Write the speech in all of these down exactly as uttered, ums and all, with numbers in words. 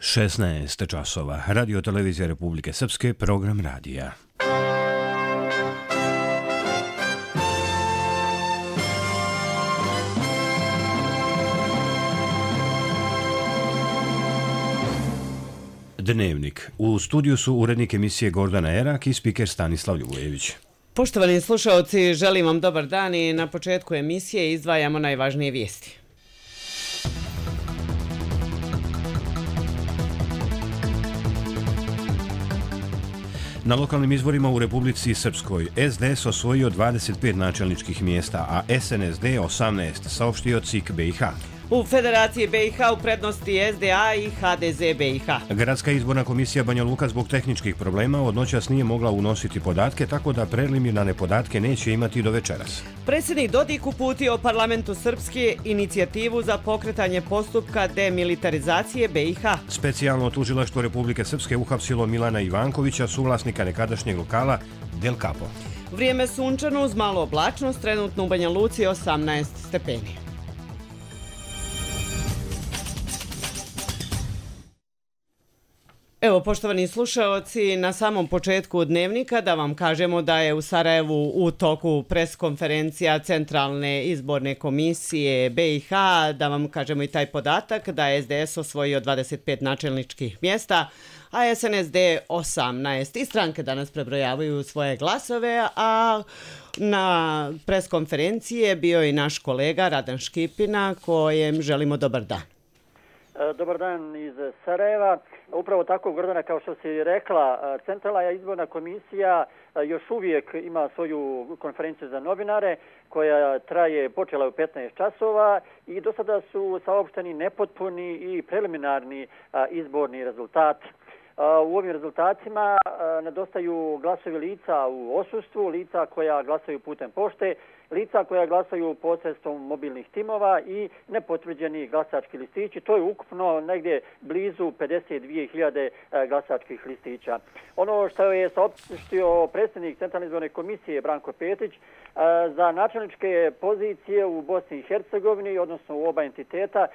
šesnaest časova. Radio televizija Republike Srpske, program radija. Dnevnik. U studiju su urednik emisije Gordana Erak i spiker Stanislav Ljubojević. Poštovani slušaoci, želim vam dobar dan i na početku emisije izdvajamo najvažnije vijesti. Na lokalnim izborima u Republici Srpskoj S D S osvojio dvadeset pet načelničkih mjesta, a S N S D osamnaest, saopštio C I K B i H. U Federaciji B i H u prednosti S D A i H D Z B i H. Gradska izborna komisija Banja Luka zbog tehničkih problema od noćas nije mogla unositi podatke, tako da preliminarne podatke neće imati do večeras. Predsjednik Dodik uputio parlamentu Srpske inicijativu za pokretanje postupka demilitarizacije B i H. Specijalno tužilaštvo Republike Srpske uhapsilo Milana Ivankovića, suvlasnika nekadašnjeg lokala Del Capo. Vrijeme sunčano uz malu oblačnost, trenutno u Banja Luci osamnaest stepeni. Evo, poštovani slušaoci, na samom početku dnevnika da vam kažemo da je u Sarajevu u toku preskonferencija Centralne izborne komisije B i H, da vam kažemo i taj podatak da je S D S osvojio dvadeset pet načelničkih mjesta, a S N S D osamnaest. I stranke danas prebrojavaju svoje glasove, a na preskonferenciji je bio i naš kolega Radan Škipina, kojem želimo dobar dan. Dobar dan iz Sarajeva. Upravo tako, Gordana, kao što si rekla, Centralna izborna komisija još uvijek ima svoju konferenciju za novinare koja traje, počela u petnaest časova i do sada su saopšteni nepotpuni i preliminarni izborni rezultati. U ovim rezultatima nedostaju glasovi lica u odsustvu, lica koja glasaju putem pošte, lica koja glasaju posredstvom mobilnih timova i nepotvrđeni glasački listići. To je ukupno negdje blizu pedeset dvije hiljade glasačkih listića. Ono što je saopštio predsjednik Centralne izborne komisije Branko Petrić, za načelničke pozicije u Bosni i Hercegovini, odnosno u oba entiteta,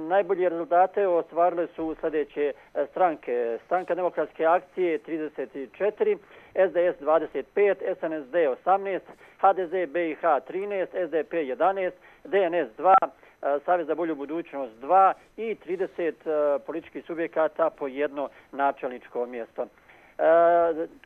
najbolje rezultate ostvarile su sljedeće stranke. Stranka demokratske akcije trideset četiri, S D S dvadeset pet, S N S D osamnaest, H D Z B i H trinaest, S D P jedanaest, D N S dva, Savez za bolju budućnost dva i trideset političkih subjekata po jedno načelničko mjesto.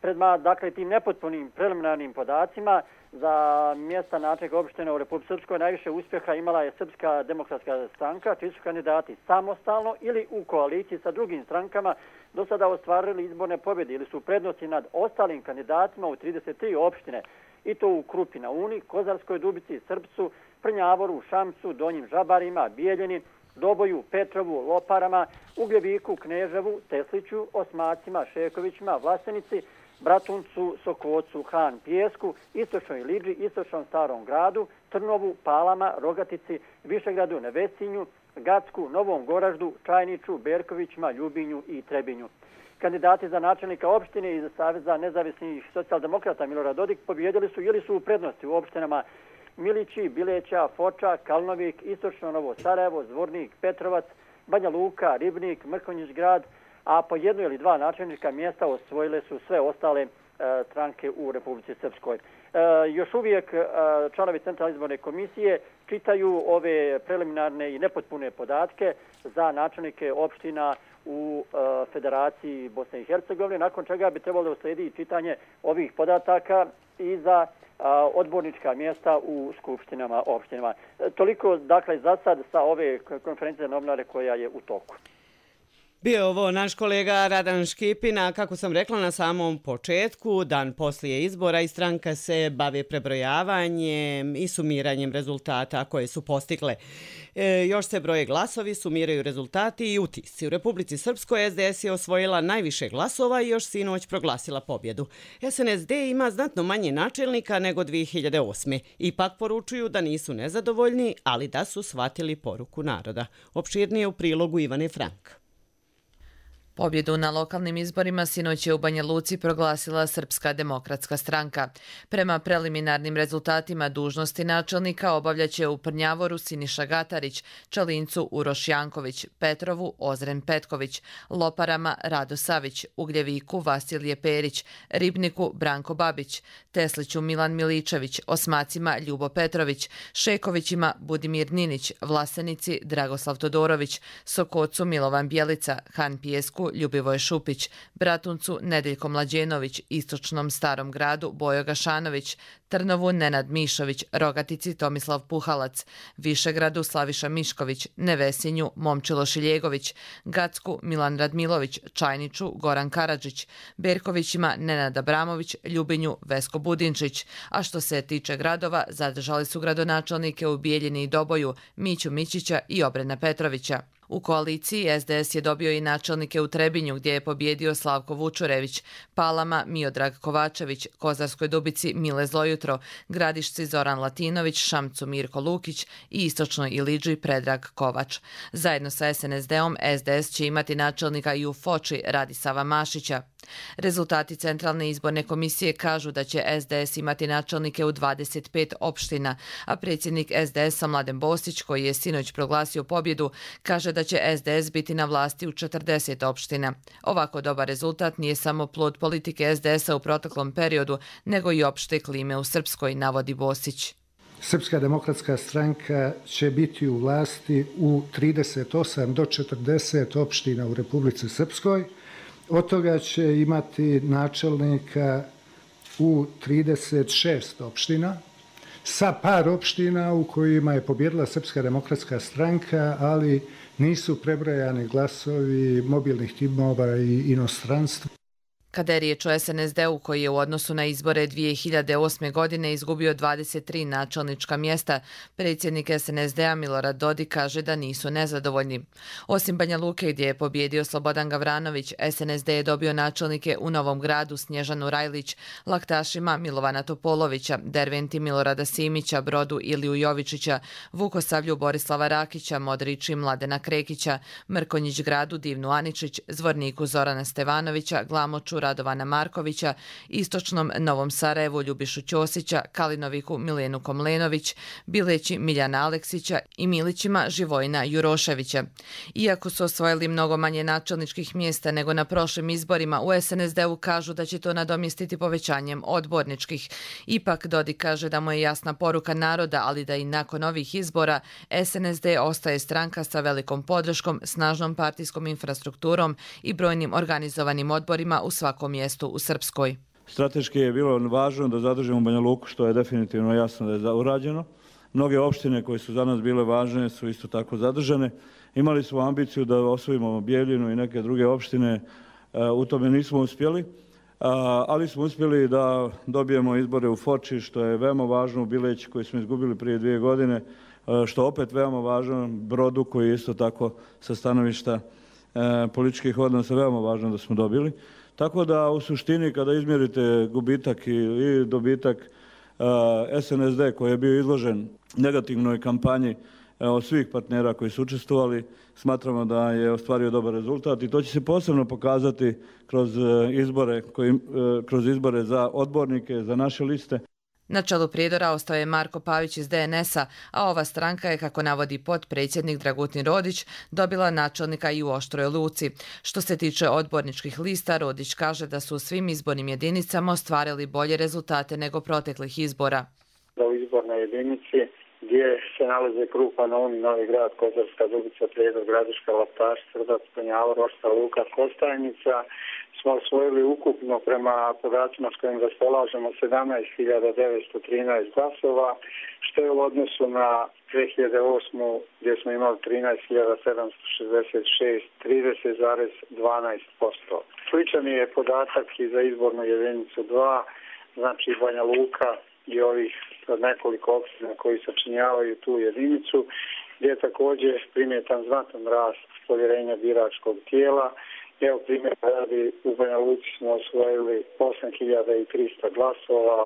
Predma, dakle, tim nepotpunim preliminarnim podacima za mjesta načelnika opštine u Republici Srpskoj najviše uspjeha imala je Srpska demokratska stranka, čiji su kandidati samostalno ili u koaliciji sa drugim strankama do sada ostvarili izborne pobjede ili su prednosti nad ostalim kandidatima u trideset tri opštine, i to u Krupi na Uni, Kozarskoj Dubici, Srpcu, Prnjavoru, Šamcu, Donjim Žabarima, Bijeljini, Doboju, Petrovu, Loparama, Ugljeviku, Kneževu, Tesliću, Osmacima, Šekovićima, Vlasenici, Bratuncu, Sokocu, Han, Pijesku, Istočnoj Liđi, Istočnom Starom gradu, Trnovu, Palama, Rogatici, Višegradu, Nevesinju, Gacku, Novom Goraždu, Čajniču, Berkovićima, Ljubinju i Trebinju. Kandidati za načelnika opštine iz Saveza nezavisnih socijaldemokrata Milorad Dodik pobjedili su ili su u prednosti u opštinama Milići, Bileća, Foča, Kalnovik, Istočno Novo Sarajevo, Zvornik, Petrovac, Banja Luka, Ribnik, Mrkonjić grad, a po jedno ili dva načelnička mjesta osvojile su sve ostale e, stranke u Republici Srpskoj. E, još uvijek e, članovi Centralne izborne komisije čitaju ove preliminarne i nepotpune podatke za načelnike opština u e, Federaciji Bosne i Hercegovine, nakon čega bi trebalo da uslijedi čitanje ovih podataka i za a, odbornička mjesta u skupštinama opštinama. E, toliko, dakle, za sad sa ove konferencije za novinare koja je u toku. Bio je ovo naš kolega Radan Škipina, kako sam rekla na samom početku, dan poslije izbora i stranka se bavi prebrojavanjem i sumiranjem rezultata koje su postigle. E, još se broje glasovi, sumiraju rezultati i utisci. U Republici Srpskoj S D S je osvojila najviše glasova i još sinoć proglasila pobjedu. S N S D ima znatno manje načelnika nego dvije hiljade osme. Ipak poručuju da nisu nezadovoljni, ali da su shvatili poruku naroda. Opširnije u prilogu Ivane Frank. Pobjedu na lokalnim izborima sinoć je u Banja Luci proglasila Srpska demokratska stranka. Prema preliminarnim rezultatima dužnosti načelnika obavljaće u Prnjavoru Siniša Gatarić, Čalincu Uroš Janković, Petrovu Ozren Petković, Loparama Rado Savić, Ugljeviku Vasilije Perić, Ribniku Branko Babić, Tesliću Milan Miličević, Osmacima Ljubo Petrović, Šekovićima Budimir Ninić, Vlasenici Dragoslav Todorović, Sokocu Milovan Bjelica, Han Pijesku Ljubivoje Šupić, Bratuncu Nedeljko Mlađenović, Istočnom Starom gradu Bojo Gašanović, Trnovu Nenad Mišović, Rogatici Tomislav Puhalac, Višegradu Slaviša Mišković, Nevesinju Momčilo Šiljegović, Gacku Milan Radmilović, Čajniču Goran Karadžić, Berkovićima Nenad Abramović, Ljubinju Vesko Budinčić, a što se tiče gradova, zadržali su gradonačelnike u Bijeljini i Doboju, Miću Mićića i Obrena Petrovića. U koaliciji S D S je dobio i načelnike u Trebinju gdje je pobjedio Slavko Vučurević, Palama Miodrag Kovačević, Kozarskoj Dubici Mile Zlojutro, Gradišci Zoran Latinović, Šamcu Mirko Lukić i Istočnoj Iliđi Predrag Kovač. Zajedno sa S N S D-om S D S će imati načelnika i u Foči Radisava Mašića. Rezultati Centralne izborne komisije kažu da će S D S imati načelnike u dvadeset pet opština, a predsjednik S D S-a Mladen Bostić, koji je sinoć proglasio pobjedu, kaže da će S D S biti na vlasti u četrdeset opština. Ovako dobar rezultat nije samo plod politike S D S-a u proteklom periodu, nego i opšte klime u Srpskoj, navodi Bostić. Srpska demokratska stranka će biti u vlasti u trideset osam do četrdeset opština u Republici Srpskoj. Od toga će imati načelnika u trideset šest opština, sa par opština u kojima je pobjedila Srpska demokratska stranka, ali nisu prebrojani glasovi mobilnih timova i inostranstva. Kada je riječ o S N S D-u koji je u odnosu na izbore dvije hiljade osme. godine izgubio dvadeset tri načelnička mjesta, predsjednik S N S D-a Milorad Dodik kaže da nisu nezadovoljni. Osim Banja Luke gdje je pobjedio Slobodan Gavranović, S N S D je dobio načelnike u Novom Gradu Snježanu Rajlić, Laktašima Milovana Topolovića, Derventi Milorada Simića, Brodu Iliju Jovičića, Vukosavlju Borislava Rakića, Modrići Mladena Krekića, Mrkonjić Gradu Divnu Aničić, Zvorniku Zorana Stevanovića, Glamoču Radovana Markovića, Istočnom Novom Sarajevu Ljubišu Ćosića, Kalinoviku Milenu Komlenović, Bileći Miljana Aleksića i Milićima Živojina Juroševića. Iako su osvojili mnogo manje načelničkih mjesta nego na prošlim izborima, u S N S D-u kažu da će to nadomjestiti povećanjem odborničkih. Ipak Dodik kaže da mu je jasna poruka naroda, ali da i nakon ovih izbora S N S D ostaje stranka sa velikom podrškom, snažnom partijskom infrastrukturom i brojnim organizovanim odborima u svakom mjestu u Srpskoj. Strateški je bilo važno da zadržimo Banja Luku, što je definitivno jasno da je urađeno. Mnoge opštine koje su za nas bile važne su isto tako zadržane. Imali smo ambiciju da osvojimo Bijeljinu i neke druge opštine, u tome nismo uspjeli, ali smo uspjeli da dobijemo izbore u Foči, što je veoma važno, u Bileći koji smo izgubili prije dvije godine, što opet veoma važno, Brodu koji je isto tako sa stanovišta političkih odnosa veoma važno da smo dobili. Tako da u suštini kada izmjerite gubitak i dobitak S N S D koji je bio izložen negativnoj kampanji od svih partnera koji su učestvovali, smatramo da je ostvario dobar rezultat i to će se posebno pokazati kroz izbore, kroz izbore za odbornike, za naše liste. Na čelu Prijedora ostao je Marko Pavić iz D N S-a, a ova stranka je, kako navodi potpredsjednik Dragutin Rodić, dobila načelnika i u Oštroj Luci. Što se tiče odborničkih lista, Rodić kaže da su u svim izbornim jedinicama ostvarili bolje rezultate nego proteklih izbora. U izbornoj jedinici gdje se nalaze Krupa, Novi, Novi Grad, Kozarska Dubica, Prijedor, Gradiška, Laktaš, Srdac, Prnjavor, Oštra Luka, Kostajnica, smo osvojili ukupno prema podacima s kojim raspolažemo sedamnaest hiljada devetsto trinaest glasova, što je u odnosu na dvije hiljade osmu. gdje smo imali trinaest hiljada sedamsto šezdeset šest, trideset zarez dvanaest posto. Sličan je podatak i za izbornu jedinicu dva, znači Banja Luka i ovih nekoliko opština koji sačinjavaju tu jedinicu, gdje je također primjetan znatan rast povjerenja biračkog tijela. Evo primjer radi, u Banja Luci smo osvojili osam hiljada trista glasova.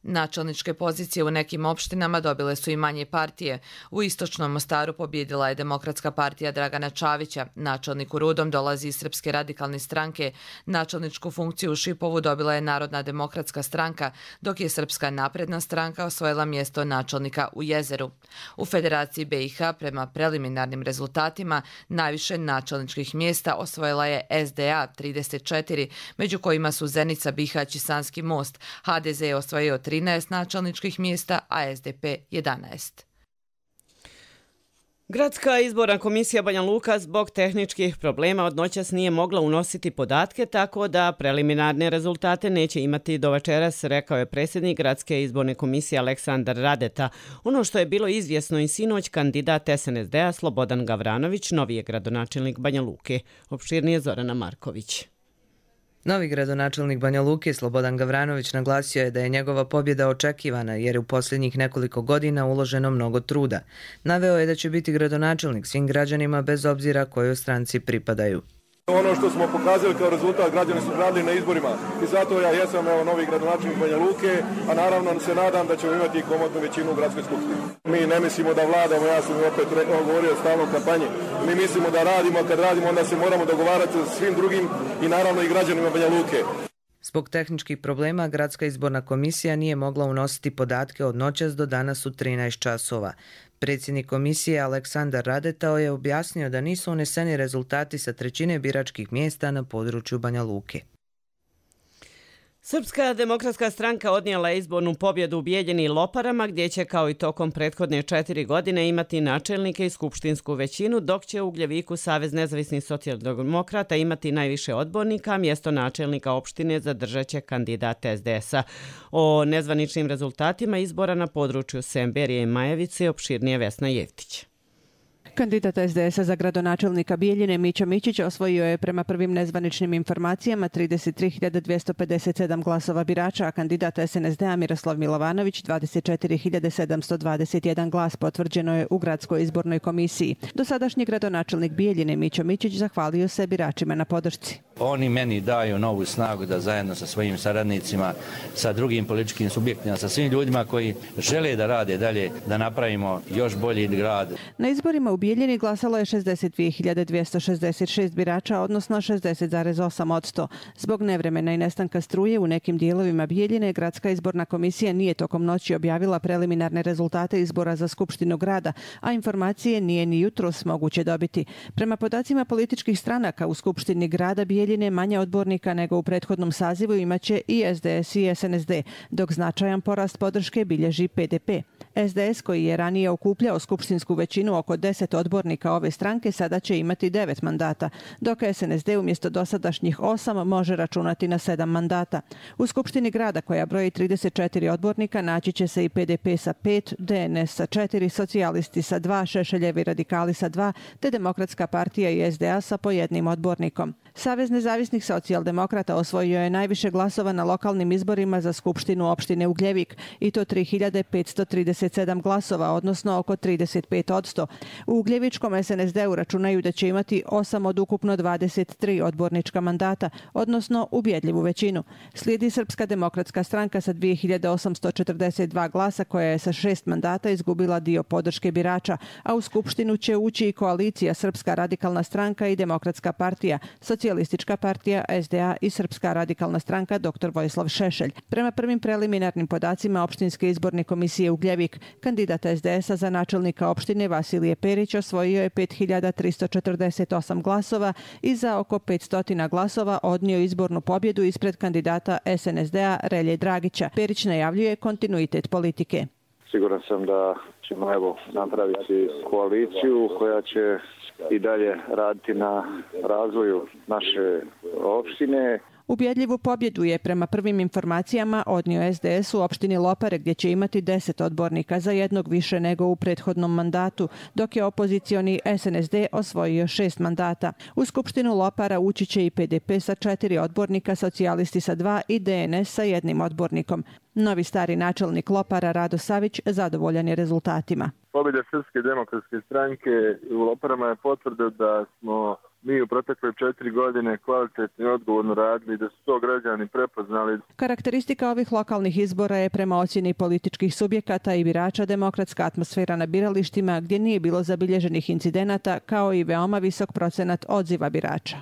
Načelničke pozicije u nekim opštinama dobile su i manje partije. U istočnom Mostaru pobjedila je Demokratska partija Dragana Čavića. Načelnik u Rudom dolazi iz Srpske radikalne stranke. Načelničku funkciju u Šipovu dobila je Narodna demokratska stranka, dok je Srpska napredna stranka osvojila mjesto načelnika u Jezeru. U Federaciji B i H prema preliminarnim rezultatima najviše načelničkih mjesta osvojila je S D A trideset četiri, među kojima su Zenica, Bihać i Sanski Most. H D Z je osvojio trinaest načelničkih mjesta, a S D P jedanaest. Gradska izborna komisija Banja Luka zbog tehničkih problema od noćas nije mogla unositi podatke, tako da preliminarne rezultate neće imati do večeras, rekao je predsjednik Gradske izborne komisije Aleksandar Radeta. Ono što je bilo izvjesno i sinoć, kandidat S N S D-a Slobodan Gavranović, novi je gradonačelnik Banja Luke. Opširnije Zorana Marković. Novi gradonačelnik Banja Luke Slobodan Gavranović naglasio je da je njegova pobjeda očekivana jer je u posljednjih nekoliko godina uloženo mnogo truda. Naveo je da će biti gradonačelnik svim građanima bez obzira kojoj stranci pripadaju. Ono što smo pokazali kao rezultat, građani su gradili na izborima i zato ja jesam evo, novi gradonačelnik Banja Luke, a naravno se nadam da ćemo imati komotnu većinu u gradskoj skupštini. Mi ne mislimo da vladamo, ja sam opet govorio o stalnom kampanji, mi mislimo da radimo, a kad radimo onda se moramo dogovarati sa svim drugim i naravno i građanima Banja Luke. Zbog tehničkih problema, Gradska izborna komisija nije mogla unositi podatke od noćas do danas u trinaest časova. Predsjednik komisije Aleksandar Radetao je objasnio da nisu uneseni rezultati sa trećine biračkih mjesta na području Banja Luke. Srpska demokratska stranka odnijela je izbornu pobjedu u Bijeljini i Loparama, gdje će kao i tokom prethodne četiri godine imati načelnike i skupštinsku većinu, dok će u Ugljeviku Savez nezavisnih socijaldemokrata imati najviše odbornika, mjesto načelnika opštine zadržat će kandidat S D S-a. O nezvaničnim rezultatima izbora na području Semberije i Majevice opširnije Vesna Jevtić. Kandidat S D S-a za gradonačelnika Bijeljine Mića Mićić osvojio je prema prvim nezvaničnim informacijama trideset tri hiljade dvjesto pedeset sedam glasova birača, a kandidat S N S D-a Miroslav Milovanović dvadeset četiri hiljade sedamsto dvadeset jedan glas, potvrđeno je u Gradskoj izbornoj komisiji. Dosadašnji gradonačelnik Bijeljine Mića Mićić zahvalio se biračima na podršci. Oni meni daju novu snagu da zajedno sa svojim saradnicima, sa drugim političkim subjektima, sa svim ljudima koji žele da rade dalje, da napravimo još bolji grad. Na izborima u Bijeljini glasalo je šezdeset dvije hiljade dvjesto šezdeset šest birača, odnosno šezdeset zarez osam posto. Zbog nevremena i nestanka struje u nekim dijelovima Bijeljine, Gradska izborna komisija nije tokom noći objavila preliminarne rezultate izbora za Skupštinu grada, a informacije nije ni jutros moguće dobiti. Prema podacima političkih stranaka u Skupštini grada Bijeljine manje odbornika nego u prethodnom sazivu imaće i S D S i S N S D, dok značajan porast podrške bilježi P D P. S D S, koji je ranije okupljao skupštinsku većinu oko deset odbornika ove stranke, sada će imati devet mandata, dok S N S D umjesto dosadašnjih osam može računati na sedam mandata. U Skupštini grada, koja broji trideset četiri odbornika, naći će se i P D P sa pet, D N S sa četiri, socijalisti sa dva, Šešeljevi radikali sa dva, te Demokratska partija i S D A sa po jednim odbornikom. Savez nezavisnih socijaldemokrata osvojio je najviše glasova na lokalnim izborima za Skupštinu opštine Ugljevik, i to tri hiljade petsto trideset sedam glasova, odnosno oko trideset pet posto. U Ugljevičkom S N S D-u računaju da će imati osam od ukupno dvadeset tri odbornička mandata, odnosno ubjedljivu većinu. Slijedi Srpska demokratska stranka sa dvije hiljade osamsto četrdeset dva glasa, koja je sa šest mandata izgubila dio podrške birača, a u Skupštinu će ući i koalicija Srpska radikalna stranka i Demokratska partija, Socijalistička partija, S D A i Srpska radikalna stranka dr Vojislav Šešelj. Prema prvim preliminarnim podacima Opštinske izborne komisije Ugljevik, kandidat S D S-a za načelnika opštine Vasilije Perić osvojio je pet hiljada tristo četrdeset osam glasova i za oko petsto glasova odnio izbornu pobjedu ispred kandidata S N S D-a Relje Dragića. Perić najavljuje kontinuitet politike. Siguran sam da ćemo evo napraviti koaliciju koja će i dalje raditi na razvoju naše opštine. Ubjedljivu pobjedu je prema prvim informacijama odnio S D S u opštini Lopare, gdje će imati deset odbornika, za jednog više nego u prethodnom mandatu, dok je opozicioni S N S D osvojio šest mandata. U Skupštinu Lopara ući će i P D P sa četiri odbornika, socijalisti sa dva i D N S sa jednim odbornikom. Novi stari načelnik Lopara Rado Savić zadovoljan je rezultatima. Pobjeda Srpske demokratske stranke u Loparama je potvrda da smo mi u protekle četiri godine kvalitetno i odgovorno radili, da su to građani prepoznali. Karakteristika ovih lokalnih izbora je prema ocjeni političkih subjekata i birača demokratska atmosfera na biralištima gdje nije bilo zabilježenih incidenata kao i veoma visok procenat odziva birača.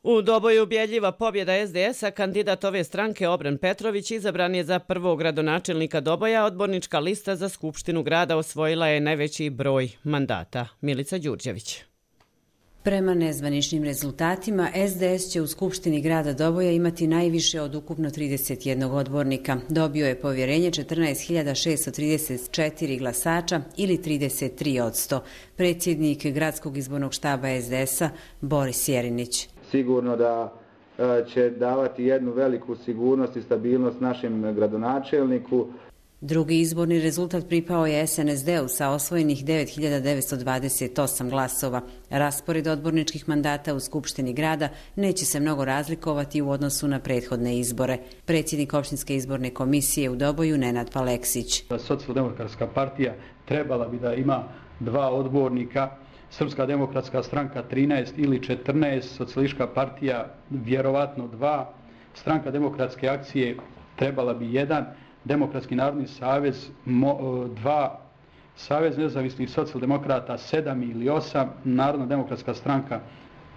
U Doboju ubjedljiva pobjeda es de es-a, kandidat ove stranke Obren Petrović izabran je za prvog gradonačelnika Doboja, odbornička lista za Skupštinu grada osvojila je najveći broj mandata. Milica Đurđević. Prema nezvaničnim rezultatima, es de es će u Skupštini grada Doboja imati najviše od ukupno trideset jednog odbornika. Dobio je povjerenje četrnaest hiljada šessto trideset četiri glasača ili trideset tri posto. Predsjednik gradskog izbornog štaba es de es-a Boris Jerinić. Sigurno da će davati jednu veliku sigurnost i stabilnost našem gradonačelniku. Drugi izborni rezultat pripao je es en es de-u sa osvojenih devet hiljada devetsto dvadeset osam glasova. Raspored odborničkih mandata u Skupštini grada neće se mnogo razlikovati u odnosu na prethodne izbore. Predsjednik opštinske izborne komisije u Doboju Nenad Paleksić. Socijaldemokratska partija trebala bi da ima dva odbornika, Srpska demokratska stranka trinaest ili četrnaest, Socijalistička partija vjerovatno dva, Stranka demokratske akcije trebala bi jedan, Demokratski narodni savez dva, Savez nezavisnih socijaldemokrata sedam ili osam, Narodna demokratska stranka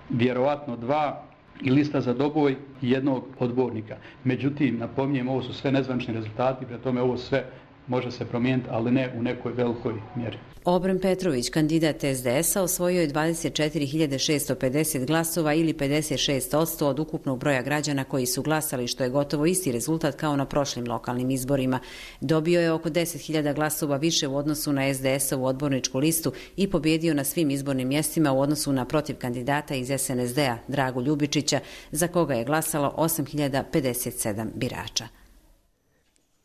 vjerovatno dva i lista za Doboj jednog odbornika. Međutim, napominjem, ovo su sve nezvanični rezultati, pre tome ovo sve može se promijeniti, ali ne u nekoj velikoj mjeri. Obren Petrović, kandidat es de es-a, osvojio je dvadeset četiri hiljade šessto pedeset glasova ili pedeset šest posto od ukupnog broja građana koji su glasali, što je gotovo isti rezultat kao na prošlim lokalnim izborima. Dobio je oko deset hiljada glasova više u odnosu na es de es-ovu odborničku listu i pobjedio na svim izbornim mjestima u odnosu na protiv kandidata iz es en es de-a Dragu Ljubičića, za koga je glasalo osam hiljada pedeset sedam birača.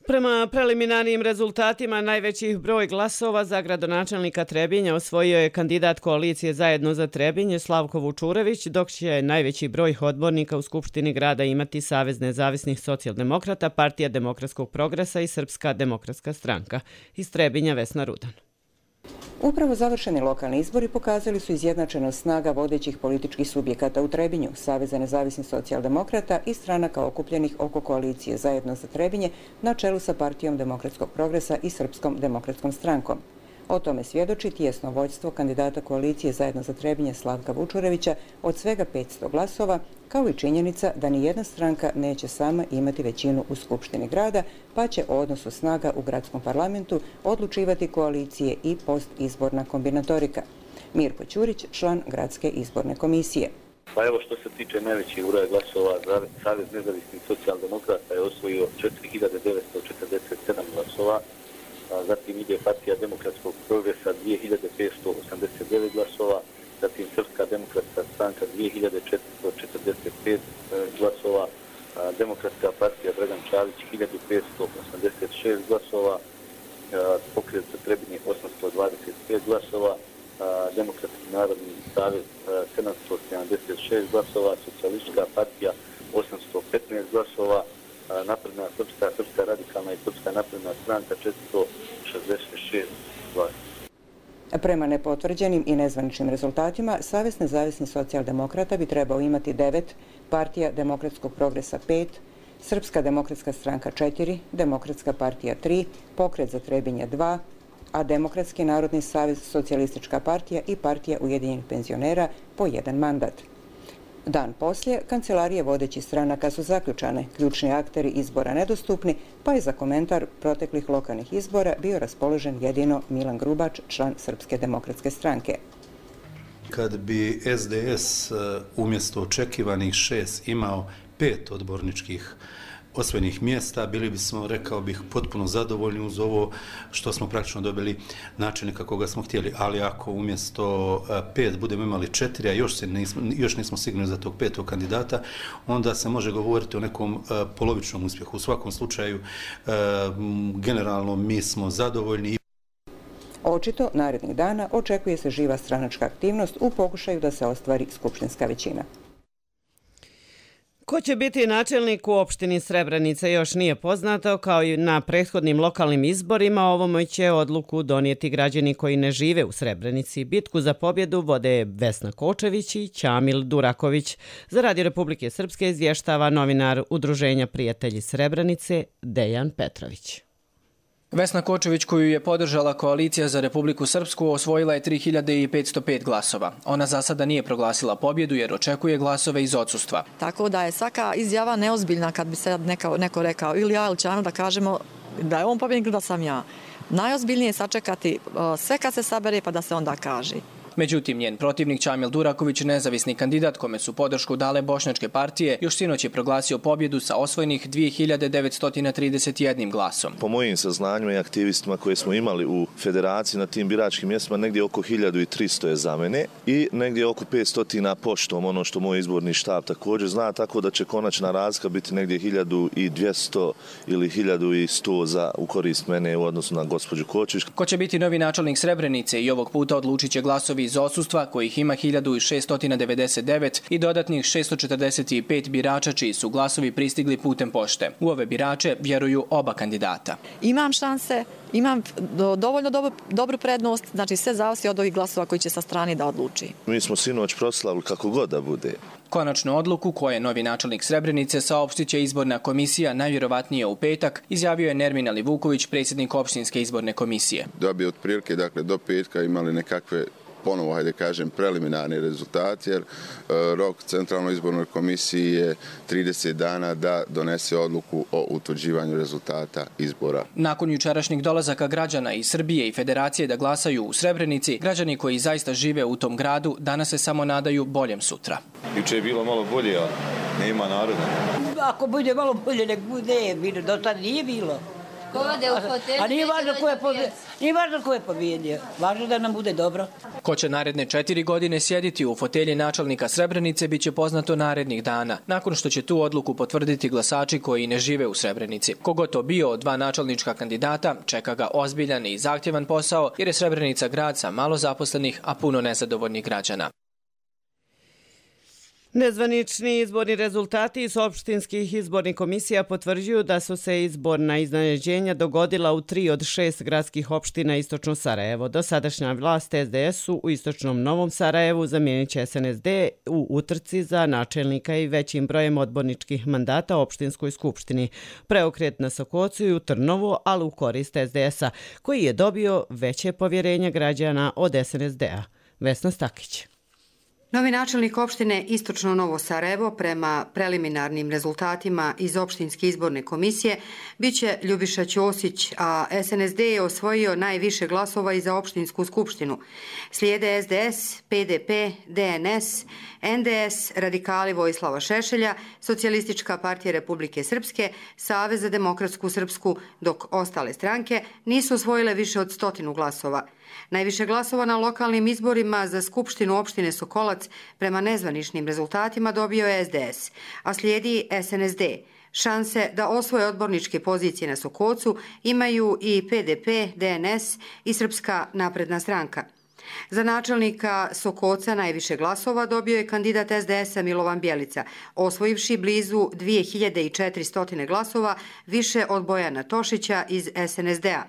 Prema preliminarnim rezultatima, najveći broj glasova za gradonačelnika Trebinja osvojio je kandidat koalicije Zajedno za Trebinje Slavko Vučurević, dok će najveći broj odbornika u Skupštini grada imati Savez nezavisnih socijaldemokrata, Partija demokratskog progresa i Srpska demokratska stranka. Iz Trebinja Vesna Rudan. Upravo završeni lokalni izbori pokazali su izjednačenost snaga vodećih političkih subjekata u Trebinju, Saveza nezavisnih socijaldemokrata i stranaka okupljenih oko koalicije Zajedno za Trebinje na čelu sa Partijom demokratskog progresa i Srpskom demokratskom strankom. O tome svjedoči tijesno vođstvo kandidata koalicije Zajedno za Trebinje Slavka Vučurevića od svega petsto glasova, kao i činjenica da ni jedna stranka neće sama imati većinu u Skupštini grada, pa će o odnosu snaga u gradskom parlamentu odlučivati koalicije i postizborna kombinatorika. Mirko Ćurić, član gradske izborne komisije. Pa evo, što se tiče najvećih broja glasova, Savez nezavisnih socijaldemokrata je osvojio četiri hiljade devetsto četrdeset sedam glasova, zatim ide Partija demokratskog progresa dvije hiljade petsto osamdeset devet glasova, zatim Srpska demokratska stranka dvije hiljade četiristo četrdeset pet glasova, Demokratska partija Dragan Čavić hiljadu petsto osamdeset šest glasova, Pokret za Trebinje osamsto dvadeset pet glasova, Demokratski narodni savez sedamsto sedamdeset šest glasova, Socijalistička partija osamsto petnaest glasova, Napredna srpska, Srpska radikalna i Srpska napredna stranka četiristo šezdeset šest glasova. Prema nepotvrđenim i nezvaničnim rezultatima, Savez nezavisnih socijaldemokrata bi trebao imati devet, Partija demokratskog progresa pet, Srpska demokratska stranka četiri, Demokratska partija tri, Pokret za Trebinje dva, a Demokratski narodni savez, Socijalistička partija i Partija ujedinjenih penzionera po jedan mandat. Dan poslije, kancelarije vodećih stranaka su zaključane, ključni akteri izbora nedostupni, pa je za komentar proteklih lokalnih izbora bio raspoložen jedino Milan Grubač, član Srpske demokratske stranke. Kad bi es de es umjesto očekivanih šest imao pet odborničkih osvojenih mjesta, bili bismo, rekao bih, potpuno zadovoljni uz ovo što smo praktično dobili načelnika koga smo htjeli. Ali ako umjesto pet budemo imali četiri, a još, se nismo, još nismo sigurni za tog petog kandidata, onda se može govoriti o nekom polovičnom uspjehu. U svakom slučaju, generalno, mi smo zadovoljni. Očito, narednih dana očekuje se živa stranačka aktivnost u pokušaju da se ostvari skupštinska većina. Ko će biti načelnik u opštini Srebrenica još nije poznato, kao i na prethodnim lokalnim izborima. Ovome će odluku donijeti građani koji ne žive u Srebrenici. Bitku za pobjedu vode Vesna Kočević i Ćamil Duraković. Za Radio Republike Srpske izvještava novinar Udruženja Prijatelji Srebrenice Dejan Petrović. Vesna Kočević, koju je podržala Koalicija za Republiku Srpsku, osvojila je tri hiljade petsto pet glasova. Ona za sada nije proglasila pobjedu jer očekuje glasove iz odsustva. Tako da je svaka izjava neozbiljna kad bi se neko, neko rekao ili ja ili Ćano da kažemo da je on pobjednik da sam ja. Najozbiljnije je sačekati sve kad se sabere pa da se onda kaže. Međutim, njen protivnik Ćamil Duraković, nezavisni kandidat kome su podršku dale bošnjačke partije, još sinoć je proglasio pobjedu sa osvojenih dvije hiljade devetsto trideset jedan glasom. Po mojim saznanjima i aktivistima koje smo imali u federaciji na tim biračkim mjestima, negdje oko hiljadu tristo je za mene i negdje oko petsto poštom, ono što moj izborni štab također zna, tako da će konačna razlika biti negdje hiljadu dvjesto ili hiljadu sto za u korist mene u odnosu na gospođu Kočević. Ko će biti novi načelnik Srebrenice i ovog puta odlučit će glasovi iz odsustva, kojih ima hiljadu šeststo devedeset devet i dodatnih šeststo četrdeset pet birača čiji su glasovi pristigli putem pošte. U ove birače vjeruju oba kandidata. Imam šanse, imam dovoljno dobro, dobru prednost, znači sve zavisi od ovih glasova koji će sa strane da odluči. Mi smo sinoć proslavili kako god da bude. Konačnu odluku, koje je novi načelnik Srebrenice, saopštit će izborna komisija najvjerovatnije u petak, izjavio je Nermin Alivuković, predsjednik opštinske izborne komisije. Da bi otprilike dakle, do petka imali nekakve ponovo, hajde kažem, preliminarni rezultat, jer rok Centralnoj izbornoj komisiji je trideset dana da donese odluku o utvrđivanju rezultata izbora. Nakon jučerašnjih dolazaka građana iz Srbije i Federacije da glasaju u Srebrenici, građani koji zaista žive u tom gradu danas se samo nadaju boljem sutra. Juče je bilo malo bolje, a nema naroda. Ako bude malo bolje, nek bude, do tada nije bilo. A nije važno ko je pobjedio, nije važno ko je pobjedio, važno da nam bude dobro. Ko će naredne četiri godine sjediti u fotelji načelnika Srebrenice biće poznato narednih dana, nakon što će tu odluku potvrditi glasači koji ne žive u Srebrenici. Kogo to bio od dva načelnička kandidata, čeka ga ozbiljan i zahtjevan posao, jer je Srebrenica grad sa malo zaposlenih, a puno nezadovoljnih građana. Nezvanični izborni rezultati iz opštinskih izbornih komisija potvrđuju da su se izborna iznenađenja dogodila u tri od šest gradskih opština Istočno Sarajevo. Dosadašnja vlast S D S-u u Istočnom Novom Sarajevu zamijenit će S N S D u utrci za načelnika i većim brojem odborničkih mandata opštinskoj skupštini. Preokret na Sokocu i u Trnovu, ali u korist S D S-a, koji je dobio veće povjerenje građana od S N S D-a. Vesna Stakić. Novi načelnik opštine Istočno Novo Sarajevo prema preliminarnim rezultatima iz opštinske izborne komisije biće Ljubiša Ćosić, a S N S D je osvojio najviše glasova i za opštinsku skupštinu. Slijede S D S, P D P, D N S, N D S, Radikali Vojislava Šešelja, Socijalistička partija Republike Srpske, Savez za demokratsku Srpsku, dok ostale stranke nisu osvojile više od stotinu glasova. Najviše glasova na lokalnim izborima za skupštinu opštine Sokolac prema nezvaničnim rezultatima dobio je S D S, a slijedi S N S D. Šanse da osvoje odborničke pozicije na Sokocu imaju i P D P, D N S i Srpska napredna stranka. Za načelnika Sokoca najviše glasova dobio je kandidat S D S-a Milovan Bjelica, osvojivši blizu dvije hiljade četiristo glasova, više od Bojana Tošića iz S N S D-a.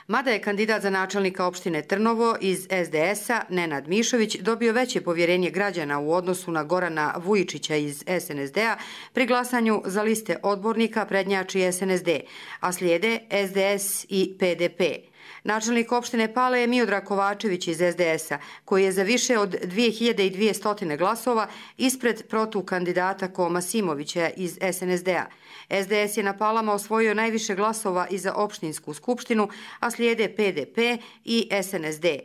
Mada je kandidat za načelnika opštine Trnovo iz S D S-a Nenad Mišović dobio veće povjerenje građana u odnosu na Gorana Vujičića iz S N S D-a, pri glasanju za liste odbornika prednjači S N S D, a slijede S D S i P D P. Načelnik opštine Pale je Miodrag Kovačević iz S D S-a, koji je za više od dvije hiljade dvjesto glasova ispred protukandidata Koma Simovića iz S N S D-a. S D S je na Palama osvojio najviše glasova i za opštinsku skupštinu, a slijede P D P i S N S D.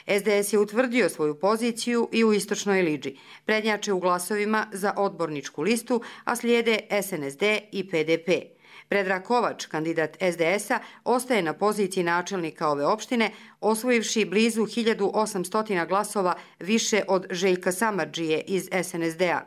S D S je utvrdio svoju poziciju i u Istočnoj Liđi. Prednjače u glasovima za odborničku listu, a slijede S N S D i P D P. Predrag Kovač, kandidat S D S-a, ostaje na poziciji načelnika ove opštine, osvojivši blizu hiljadu osamsto glasova više od Željka Samardžije iz S N S D-a.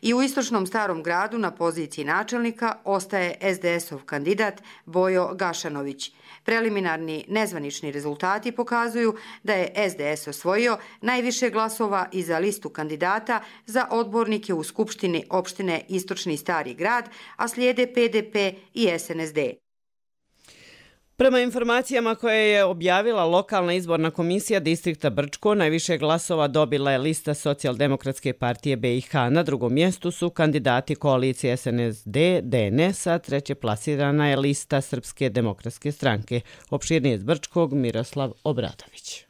I u Istočnom Starom gradu na poziciji načelnika ostaje S D S-ov kandidat Bojo Gašanović. Preliminarni nezvanični rezultati pokazuju da je S D S osvojio najviše glasova i za listu kandidata za odbornike u Skupštini opštine Istočni Stari grad, a slijede P D P i S N S D. Prema informacijama koje je objavila lokalna izborna komisija distrikta Brčko, najviše glasova dobila je lista Socijaldemokratske partije B i H. Na drugom mjestu su kandidati koalicije S N S D, D N S, a treće plasirana je lista Srpske demokratske stranke. Opširnije iz Brčkog, Miroslav Obradović.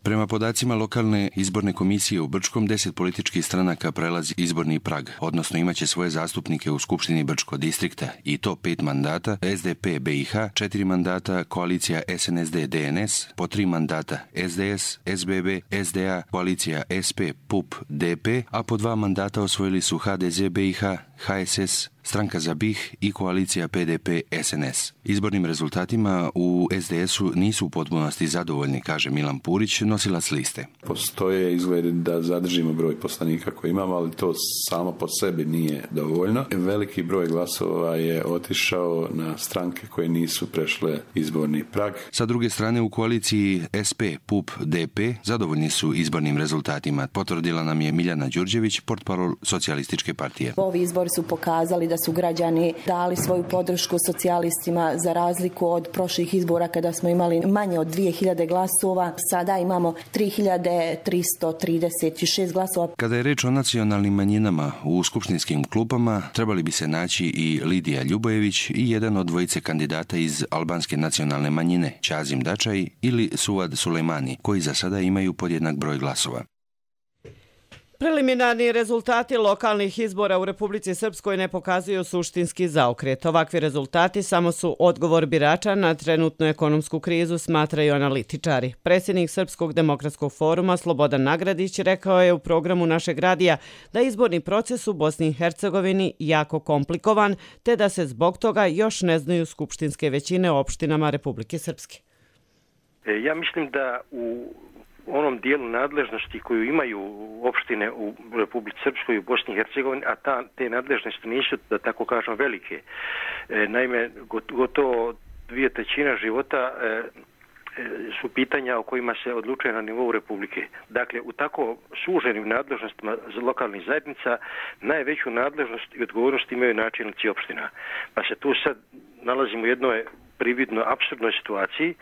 Prema podacima lokalne izborne komisije u Brčkom, deset političkih stranaka prelazi izborni prag, odnosno imaće svoje zastupnike u Skupštini Brčko distrikta, i to pet mandata, S D P B i H, četiri mandata, koalicija S N S D D N S, po tri mandata S D S, S B B, S D A, koalicija S P, P U P, D P, a po dva mandata osvojili su H D Z B i H, H S S, Stranka za B i H i koalicija P D P S N S. Izbornim rezultatima u S D S-u nisu u potpunosti zadovoljni, kaže Milan Purić, nosilac liste. Postoje izgledi da zadržimo broj poslanika koji imamo, ali to samo po sebi nije dovoljno. Veliki broj glasova je otišao na stranke koje nisu prešle izborni prag. Sa druge strane, u koaliciji S P, P U P, D P zadovoljni su izbornim rezultatima. Potvrdila nam je Miljana Đurđević, portparol Socijalističke partije. Ovi izbori su pokazali da su građani dali svoju podršku socijalistima za razliku od prošlih izbora kada smo imali manje od dvije hiljade glasova. Sada imamo tri hiljade tristo trideset šest glasova. Kada je reč o nacionalnim manjinama u skupštinskim klupama, trebali bi se naći i Lidija Ljubojević i jedan od dvojice kandidata iz albanske nacionalne manjine, Ćazim Dačaj ili Suad Sulejmani, koji za sada imaju podjednak broj glasova. Preliminarni rezultati lokalnih izbora u Republici Srpskoj ne pokazuju suštinski zaokret. Ovakvi rezultati samo su odgovor birača na trenutnu ekonomsku krizu, smatraju analitičari. Predsjednik Srpskog demokratskog foruma Slobodan Nagradić rekao je u programu našeg radija da je izborni proces u Bosni i Hercegovini jako komplikovan, te da se zbog toga još ne znaju skupštinske većine u opštinama Republike Srpske. Ja mislim da u onom dijelu nadležnosti koju imaju opštine u Republici Srpskoj i u Bosni i Hercegovini, a ta, te nadležnosti nisu, da tako kažem, velike. E, naime, gotovo dvije trećina života e, su pitanja o kojima se odlučuje na nivou Republike. Dakle, u tako suženim nadležnostima lokalnih zajednica najveću nadležnost i odgovornost imaju načelnici opština. Pa se tu sad nalazimo u jednoj prividno apsurdnoj situaciji.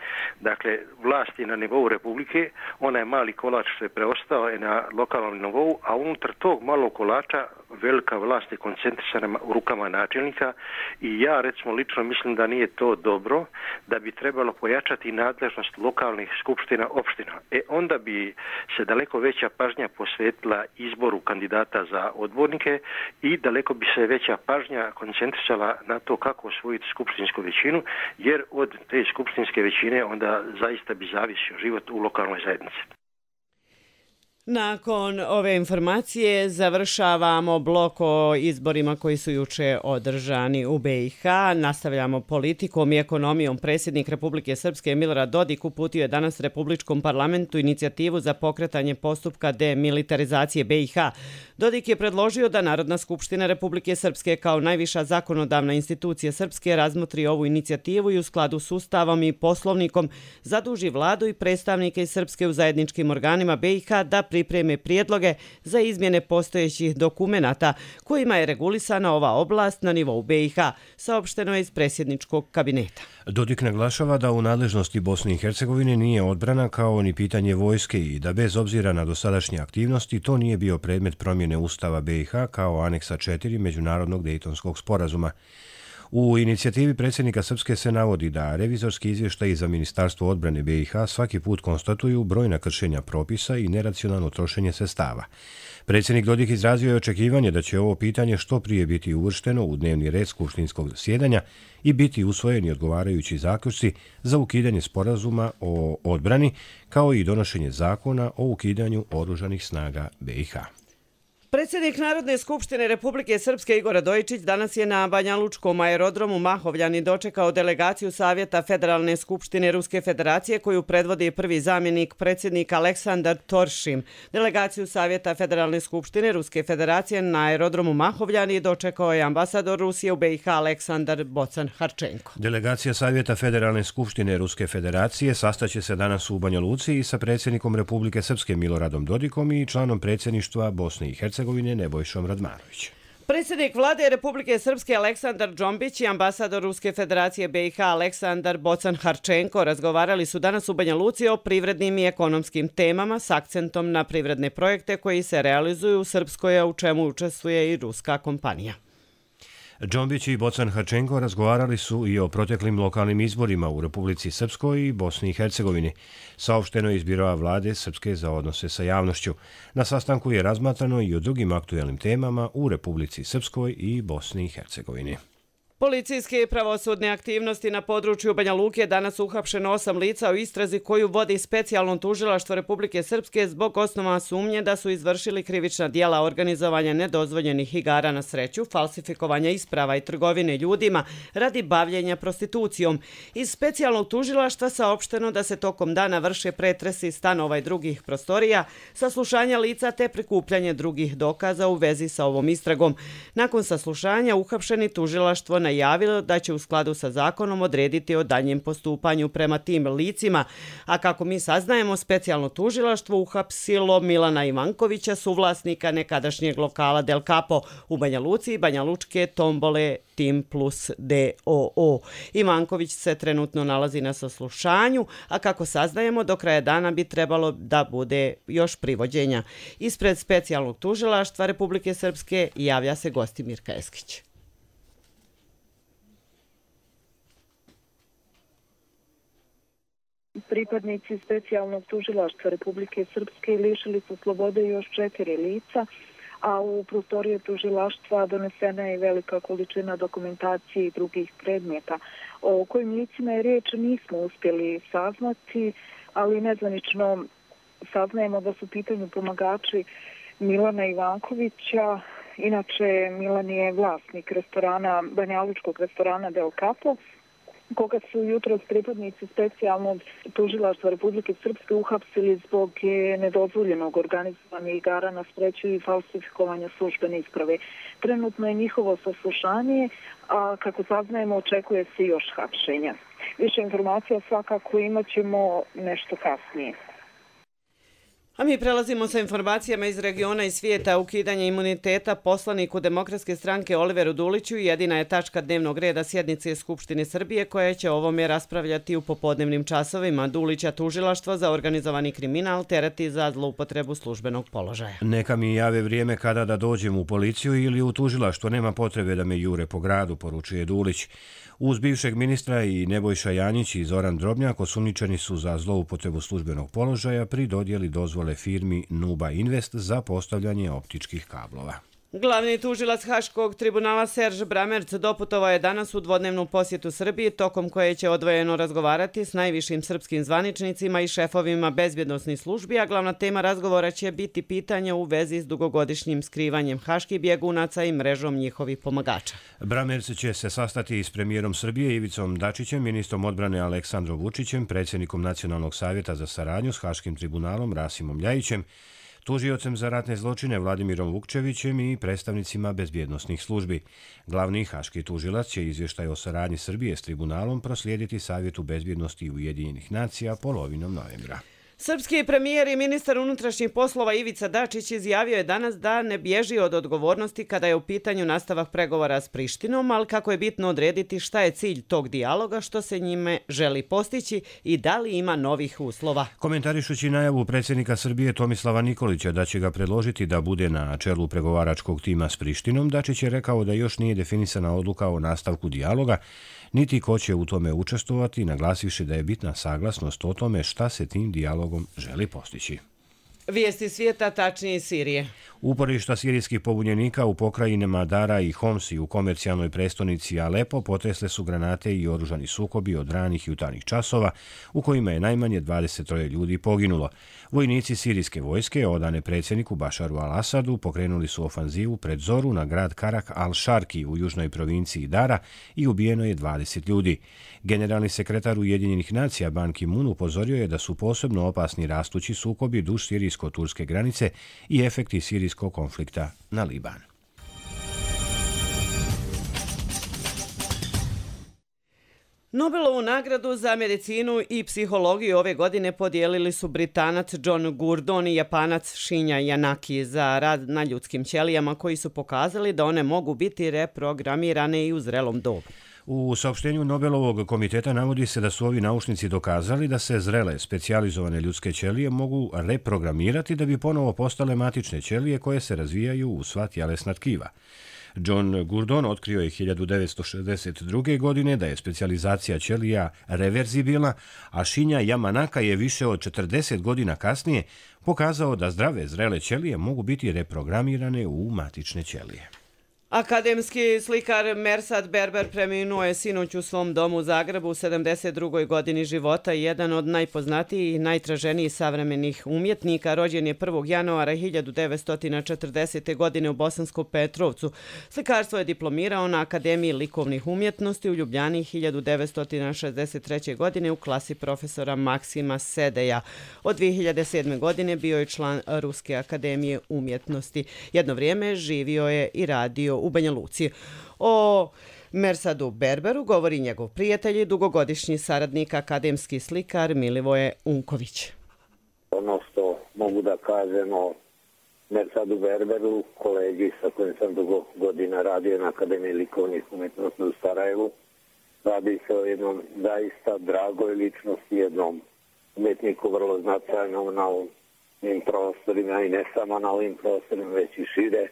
Dakle, vlast je na nivou Republike, onaj mali kolač što je preostao je na lokalnom nivou, a unutar tog malog kolača velika vlast je koncentrisana u rukama načelnika i ja, recimo, lično mislim da nije to dobro, da bi trebalo pojačati nadležnost lokalnih skupština opština. E, onda bi se daleko veća pažnja posvetila izboru kandidata za odbornike i daleko bi se veća pažnja koncentrisala na to kako osvojiti skupštinsku većinu, jer od te skupštinske većine onda zaista bi zavisio život u lokalnoj zajednici. Nakon ove informacije završavamo blok o izborima koji su juče održani u B i H. Nastavljamo politikom i ekonomijom. Predsjednik Republike Srpske Milorad Dodik uputio je danas Republičkom parlamentu inicijativu za pokretanje postupka demilitarizacije B i H. Dodik je predložio da Narodna skupština Republike Srpske kao najviša zakonodavna institucija Srpske razmotri ovu inicijativu i u skladu s Ustavom i Poslovnikom zaduži vladu i predstavnike iz Srpske u zajedničkim organima B i H da pripreme prijedloge za izmjene postojećih dokumenata kojima je regulisana ova oblast na nivou B i H, saopšteno je iz predsjedničkog kabineta. Dodik naglašava da u nadležnosti Bosne i Hercegovine nije odbrana kao ni pitanje vojske i da bez obzira na dosadašnje aktivnosti to nije bio predmet promjene Ustava B i H kao aneksa četiri Međunarodnog Dejtonskog sporazuma. U inicijativi predsjednika Srpske se navodi da revizorski izvještaji za Ministarstvo odbrane B i H svaki put konstatuju brojna kršenja propisa i neracionalno trošenje sredstava. Predsjednik Dodik izrazio je očekivanje da će ovo pitanje što prije biti uvršteno u dnevni red skupštinskog zasjedanja i biti usvojeni odgovarajući zaključci za ukidanje sporazuma o odbrani, kao i donošenje zakona o ukidanju oružanih snaga B i H. Predsjednik Narodne skupštine Republike Srpske Igor Radojičić danas je na Banjalučkom aerodromu Mahovljani dočekao delegaciju Savjeta Federalne skupštine Ruske federacije koju predvodi prvi zamjenik predsjednika Aleksandar Toršim. Delegaciju Savjeta Federalne skupštine Ruske federacije na aerodromu Mahovljani dočekao je ambasador Rusije u B i H Aleksandar Bocan Harčenko. Delegacija Savjeta Federalne skupštine Ruske federacije sastaće se danas u Banja Luci i sa predsjednikom Republike Srpske Miloradom Dodikom i članom predsjedništva Bosne i Hercegovine Nebojšom Radmanovićem. Predsjednik vlade Republike Srpske Aleksandar Džombić i ambasador Ruske federacije B i H Aleksandar Bocan Harčenko razgovarali su danas u Banja Luci o privrednim i ekonomskim temama s akcentom na privredne projekte koji se realizuju u Srpskoj, a u čemu učestvuje i ruska kompanija. Džombić i Bocan Harčenko razgovarali su i o proteklim lokalnim izborima u Republici Srpskoj i Bosni i Hercegovini. Saopšteno je iz Biroa vlade Srpske za odnose sa javnošću. Na sastanku je razmatrano i o drugim aktuelnim temama u Republici Srpskoj i Bosni i Hercegovini. Policijske i pravosudne aktivnosti na području Banja Luke danas uhapšeno osam lica u istrazi koju vodi specijalno tužilaštvo Republike Srpske zbog osnova sumnje da su izvršili krivična dijela organizovanja nedozvoljenih igara na sreću, falsifikovanja isprava i trgovine ljudima radi bavljenja prostitucijom. Iz specijalnog tužilaštva saopšteno da se tokom dana vrše pretresi stanova i drugih prostorija, saslušanja lica te prikupljanje drugih dokaza u vezi sa ovom istragom. Nakon saslušanja uhapšeni tužilaštvo na najavilo da će u skladu sa zakonom odrediti o daljem postupanju prema tim licima, a kako mi saznajemo, specijalno tužilaštvo uhapsilo Milana Ivankovića, suvlasnika nekadašnjeg lokala Del Capo u Banja Luci i Banja Lučke tombole Tim Plus D O O. Ivanković se trenutno nalazi na saslušanju, a kako saznajemo, do kraja dana bi trebalo da bude još privođenja. Ispred specijalnog tužilaštva Republike Srpske javlja se Gostimir Keskić. Pripadnici specijalnog tužilaštva Republike Srpske lišili su slobode još četiri lica, a u prostorije tužilaštva donesena je velika količina dokumentacije i drugih predmeta. O kojim licima je riječ nismo uspjeli saznati, ali nezvanično saznajemo da su pitanju pomagači Milana Ivankovića. Inače, Milan je vlasnik restorana, banjalučkog restorana Del Capo, koga su jutros pripadnici specijalnog tužilaštva Republike Srpske uhapsili zbog nedozvoljenog organizovanja igara na sreću i falsifikovanja službene isprave. Trenutno je njihovo saslušanje, a kako saznajemo, očekuje se još hapšenja. Više informacija svakako imat ćemo nešto kasnije. A mi prelazimo sa informacijama iz regiona i svijeta. Ukidanje imuniteta poslaniku Demokratske stranke Oliveru Duliću jedina je tačka dnevnog reda sjednice Skupštine Srbije koja će o ovome raspravljati u popodnevnim časovima. Dulića tužilaštvo za organizovani kriminal tereti za zloupotrebu službenog položaja. Neka mi jave vrijeme kada da dođem u policiju ili u tužilaštvo, nema potrebe da me jure po gradu, poručuje Dulić. Uz bivšeg ministra i Nebojša Janjić i Zoran Drobnjak osumnjičeni su za zloupotrebu službenog položaja pri dodjeli dozvole firmi Nuba Invest za postavljanje optičkih kablova. Glavni tužilac Haškog tribunala Serž Bramerc doputovao je danas u dvodnevnu posjetu Srbiji, tokom koje će odvojeno razgovarati s najvišim srpskim zvaničnicima i šefovima bezbjednosnih službi, a glavna tema razgovora će biti pitanje u vezi s dugogodišnjim skrivanjem haških bjegunaca i mrežom njihovih pomagača. Bramerc će se sastati i s premijerom Srbije Ivicom Dačićem, ministrom odbrane Aleksandrom Vučićem, predsjednikom Nacionalnog savjeta za saradnju s Haškim tribunalom Rasimom Ljajićem, tužiocem za ratne zločine Vladimirom Vukčevićem i predstavnicima bezbjednosnih službi. Glavni haški tužilac će izvještaj o saradnji Srbije s tribunalom proslijediti Savjetu bezbjednosti Ujedinjenih nacija polovinom novembra. Srpski premijer i ministar unutrašnjih poslova Ivica Dačić izjavio je danas da ne bježi od odgovornosti kada je u pitanju nastavak pregovora s Prištinom, ali kako je bitno odrediti šta je cilj tog dijaloga, što se njime želi postići i da li ima novih uslova. Komentarišući najavu predsjednika Srbije Tomislava Nikolića da će ga predložiti da bude na čelu pregovaračkog tima s Prištinom, Dačić je rekao da još nije definisana odluka o nastavku dijaloga, niti ko će u tome učestvovati, naglasivši da je bitna saglasnost o tome šta se tim dijalogom želi postići. Vijesti svijeta, tačnije iz Sirije. Uporišta sirijskih pobunjenika u pokrajinama Dara i Homsi u komercijalnoj prestonici Alepo potresle su granate i oružani sukobi od ranih jutarnjih časova u kojima je najmanje dvadeset troje ljudi poginulo. Vojnici sirijske vojske, odane predsjedniku Bašaru al-Asadu, pokrenuli su ofanzivu pred zoru na grad Karak al-Sharki u južnoj provinciji Dara i ubijeno je dvadeset ljudi. Generalni sekretar Ujedinjenih nacija Ban Ki-moon upozorio je da su posebno opasni rastući sukobi duž sirijsko-turske granice i efekti sirijskog konflikta na Liban. Nobelovu nagradu za medicinu i psihologiju ove godine podijelili su Britanac John Gurdon i Japanac Shinya Yanaki za rad na ljudskim ćelijama koji su pokazali da one mogu biti reprogramirane i u zrelom dobu. U saopštenju Nobelovog komiteta navodi se da su ovi naučnici dokazali da se zrele, specijalizovane ljudske ćelije mogu reprogramirati da bi ponovo postale matične ćelije koje se razvijaju u sva tjelesna tkiva. John Gurdon otkrio je hiljadu devetsto šezdeset druge. godine da je specijalizacija ćelija reverzibilna, a Shinya Yamanaka je više od četrdeset godina kasnije pokazao da zdrave zrele ćelije mogu biti reprogramirane u matične ćelije. Akademski slikar Mersad Berber preminuo je sinoć u svom domu u Zagrebu u sedamdeset drugoj godini života i jedan od najpoznatijih i najtraženijih savremenih umjetnika. Rođen je prvog januara hiljadu devetsto četrdesete. godine u Bosanskom Petrovcu. Slikarstvo je diplomirao na Akademiji likovnih umjetnosti u Ljubljani hiljadu devetsto šezdeset treće. godine u klasi profesora Maksima Sedeja. Od dvije hiljade sedme. godine bio je član Ruske akademije umjetnosti. Jedno vrijeme živio je i radio u Banja Luci. O Mersadu Berberu govori njegov prijatelj i dugogodišnji saradnik, akademski slikar Milivoje Unković. Ono što mogu da kažem o Mersadu Berberu, kolegi sa kojim sam dugo godina radio na Akademiji likovnih umjetnosti u Sarajevu, radi se o jednom zaista dragoj ličnosti, jednom umjetniku vrlo značajnom na ovim prostorima i ne samo na ovim prostorima, već i šire.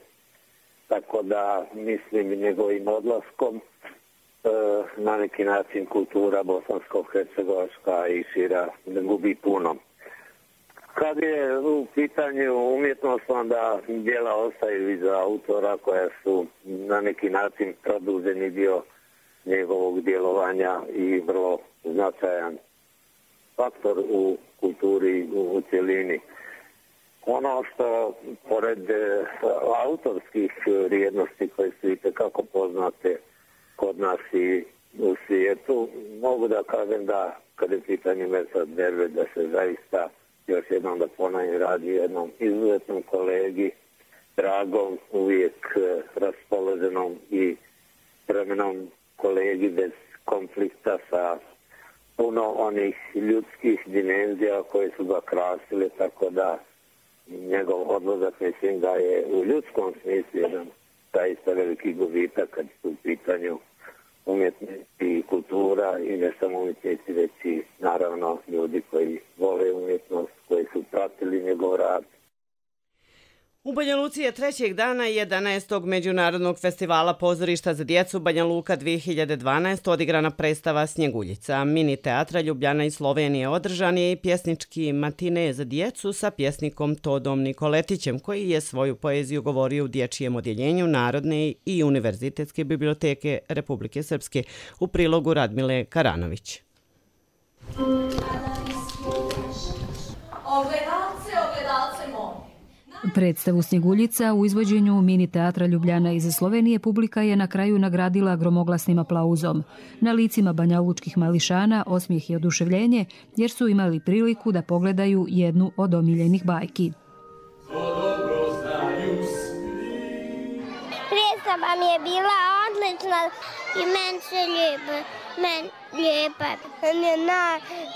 Tako da mislim njegovim odlaskom e, na neki način kultura bosansko-hercegovačka i šira ne gubi puno. Kad je u pitanju umjetnost, onda djela ostaju iza autora koja su na neki način produženi dio njegovog djelovanja i vrlo značajan faktor u kulturi u, u cjelini. Ono što, pored autorskih vrijednosti koje su itekako poznate kod nas i u svijetu, mogu da kažem da, kada je pitanje Mersad Berber, da se zaista još jednom da ponavljam radi jednom izuzetnom kolegi, dragom, uvijek raspoloženom i vremenom kolegi bez konflikta sa puno onih ljudskih dimenzija koje su ga krasile, tako da njegov odlazak, mislim da je u ljudskom smislu jedan zaista veliki gubitak kad su u pitanju umjetnosti i kultura i ne samo umjetnici, već i naravno ljudi koji vole umjetnost, koji su pratili njegov rad. U Banja Luci je trećeg dana jedanaestog Međunarodnog festivala pozorišta za djecu Banja Luka dvije hiljade dvanaeste. odigrana predstava Snjeguljica. Mini teatra Ljubljana i Slovenije održan je i pjesnički matine za djecu sa pjesnikom Todom Nikoletićem, koji je svoju poeziju govorio u dječjem odjeljenju Narodne i Univerzitetske biblioteke Republike Srpske, u prilogu Radmile Karanović. Ogledalce, ogledalce moje. Predstavu Snjeguljica u izvođenju mini teatra Ljubljana iz Slovenije publika je na kraju nagradila gromoglasnim aplauzom. Na licima banjalučkih mališana osmijeh i oduševljenje, jer su imali priliku da pogledaju jednu od omiljenih bajki. Predstava mi je bila odlična i meni se lijepa. Meni lijepa.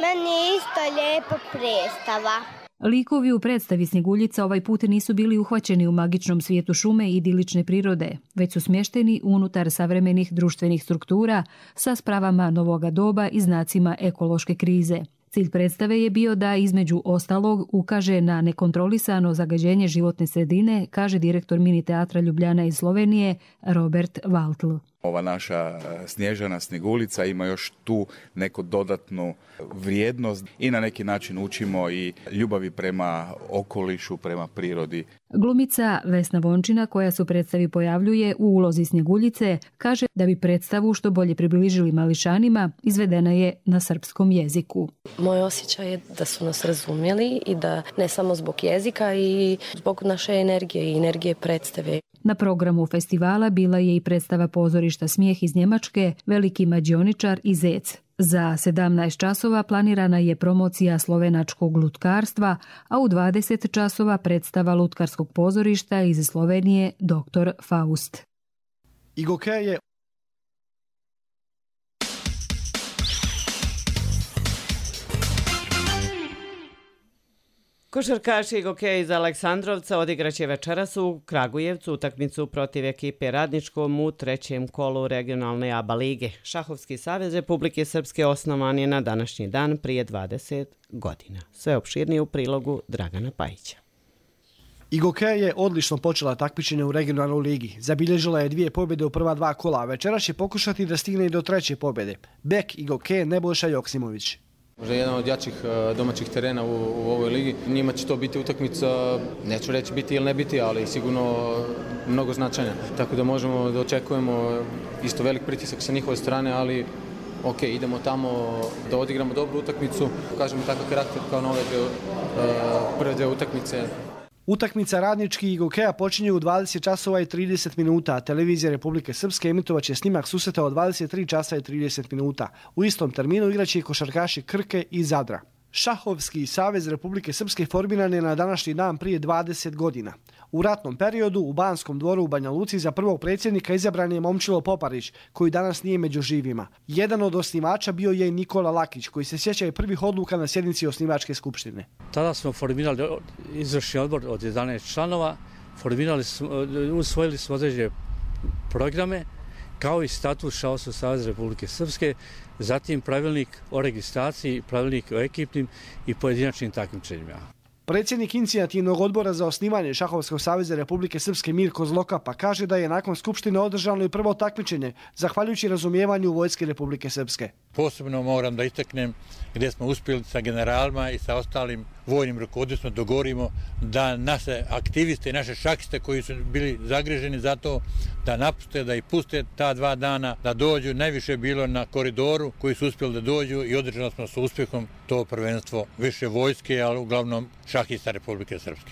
Meni je isto lijepa predstava. Likovi u predstavi Snjeguljica ovaj put nisu bili uhvaćeni u magičnom svijetu šume i idilične prirode, već su smješteni unutar savremenih društvenih struktura sa spravama novoga doba i znacima ekološke krize. Cilj predstave je bio da između ostalog ukaže na nekontrolisano zagađenje životne sredine, kaže direktor mini teatra Ljubljana iz Slovenije Robert Valtl. Ova naša Snježana Snjegulica ima još tu neku dodatnu vrijednost i na neki način učimo i ljubavi prema okolišu, prema prirodi. Glumica Vesna Vončina, koja se u predstavi pojavljuje u ulozi Snjeguljice, kaže da bi predstavu što bolje približili mališanima, izvedena je na srpskom jeziku. Moj osjećaj je da su nas razumjeli i da ne samo zbog jezika i zbog naše energije i energije predstave. Na programu festivala bila je i predstava pozorišta Smijeh iz Njemačke, Veliki mađioničar i Zec. Za sedamnaest časova planirana je promocija slovenačkog lutkarstva, a u dvadeset časova predstava lutkarskog pozorišta iz Slovenije doktor Faust. Igoke je Košarkaši Igoke iz Aleksandrovca odigraće večeras u Kragujevcu utakmicu protiv ekipe Radničkom u trećem kolu regionalne A B A lige. Šahovski savez Republike Srpske osnovan je na današnji dan prije dvadeset godina. Sve opširnije u prilogu Dragana Pajića. Igoke je odlično počela takmičenje u regionalnoj ligi. Zabilježila je dvije pobjede u prva dva kola, a večeras će pokušati da stigne i do treće pobjede. Bek Igoke Nebojša Joksimović. Možda jedan od jačih domaćih terena u, u ovoj ligi. Njima će to biti utakmica, neću reći biti ili ne biti, ali sigurno mnogo značajna. Tako da možemo da očekujemo isto velik pritisak sa njihove strane, ali ok, idemo tamo da odigramo dobru utakmicu. Kažemo takav karakter kao na ove dve, prve dve utakmice. Utakmica Radnički i Igokeja počinje u dvadeset časova i trideset minuta, a televizija Republike Srpske emitovat će snimak susreta od dvadeset tri časa i trideset minuta. U istom terminu igraće i košarkaši Krke i Zadra. Šahovski savez Republike Srpske formiran je na današnji dan prije dvadeset godina. U ratnom periodu u Banskom dvoru u Banja Luci za prvog predsjednika izabran je Momčilo Poparić, koji danas nije među živima. Jedan od osnivača bio je Nikola Lakić, koji se sjeća i prvih odluka na sjednici osnivačke skupštine. Tada smo formirali izvršni odbor od jedanaest članova, formirali smo, usvojili smo određene programe, kao i statut Šahovskog saveza Republike Srpske, zatim pravilnik o registraciji, pravilnik o ekipnim i pojedinačnim takmičenjima. Predsjednik inicijativnog odbora za osnivanje Šahovskog saveza Republike Srpske Mirko Zloka pa kaže da je nakon skupštine održano i prvo takmičenje, zahvaljujući razumijevanju Vojske Republike Srpske. Posebno moram da istaknem gdje smo uspjeli sa generalima i sa ostalim vojnim rukovodstvom dogovorimo da naše aktiviste i naše šahiste koji su bili zagriženi za to da napuste, da ih puste ta dva dana, da dođu. Najviše bilo na koridoru koji su uspjeli da dođu i održali smo sa uspjehom to prvenstvo više vojske, ali uglavnom šahista Republike Srpske.